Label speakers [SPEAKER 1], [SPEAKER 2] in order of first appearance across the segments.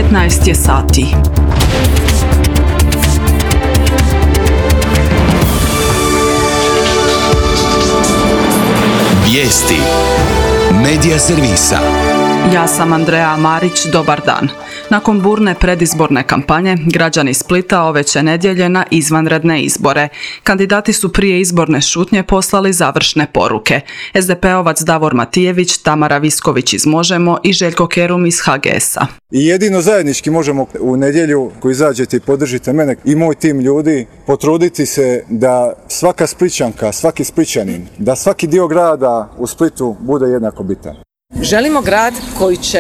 [SPEAKER 1] 15 je sati.
[SPEAKER 2] Vijesti Medija servisa.
[SPEAKER 1] Ja sam Andreja Marić, dobar dan. Nakon burne predizborne kampanje, građani Splita ove će nedjelje na izvanredne izbore. Kandidati su prije izborne šutnje poslali završne poruke. SDP-ovac Davor Matijević, Tamara Visković iz Možemo i Željko Kerum iz HGS-a.
[SPEAKER 3] I jedino zajednički možemo u nedjelju, koji izađete i podržite mene i moj tim ljudi, potruditi se da svaka Splićanka, svaki Splićanin, da svaki dio grada u Splitu bude jednako bitan.
[SPEAKER 4] Želimo grad koji će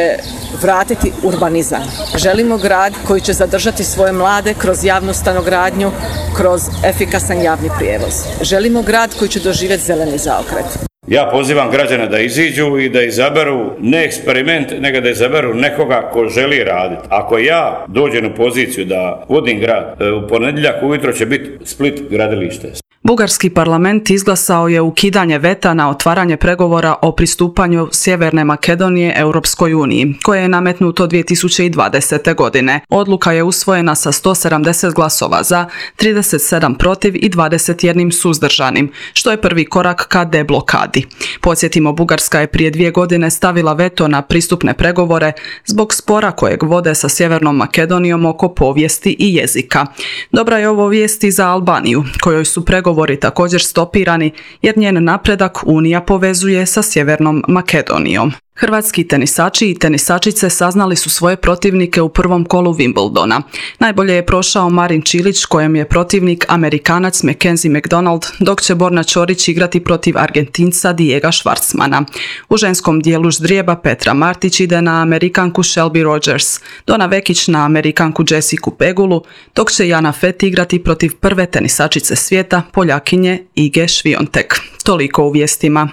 [SPEAKER 4] vratiti urbanizam. Želimo grad koji će zadržati svoje mlade kroz javnu stanogradnju, kroz efikasan javni prijevoz. Želimo grad koji će doživjeti zeleni zaokret.
[SPEAKER 5] Ja pozivam građane da iziđu i da izaberu ne eksperiment, nego da izaberu nekoga ko želi raditi. Ako ja dođem u poziciju da vodim grad, u ponedjeljak ujutro će biti Split gradilište.
[SPEAKER 1] Bugarski parlament izglasao je ukidanje veta na otvaranje pregovora o pristupanju Sjeverne Makedonije Europskoj uniji, koje je nametnuto 2020. godine. Odluka je usvojena sa 170 glasova za, 37 protiv i 21 suzdržanim, što je prvi korak ka deblokadi. Podsjetimo, Bugarska je prije 2 godine stavila veto na pristupne pregovore zbog spora kojeg vode sa Sjevernom Makedonijom oko povijesti i jezika. Dobra je ovo vijest i za Albaniju, kojoj su pregovori također stopirani jer njen napredak Unija povezuje sa Sjevernom Makedonijom. Hrvatski tenisači i tenisačice saznali su svoje protivnike u prvom kolu Wimbledona. Najbolje je prošao Marin Čilić, kojem je protivnik Amerikanac Mackenzie McDonald, dok će Borna Ćorić igrati protiv Argentinca Diega Schwartzmana. U ženskom dijelu ždrijeba Petra Martić ide na Amerikanku Shelby Rogers, Dona Vekić na Amerikanku Jessicu Pegulu, dok će Jana Fett igrati protiv prve tenisačice svijeta, Poljakinje Ige Swiatek. Toliko u vijestima.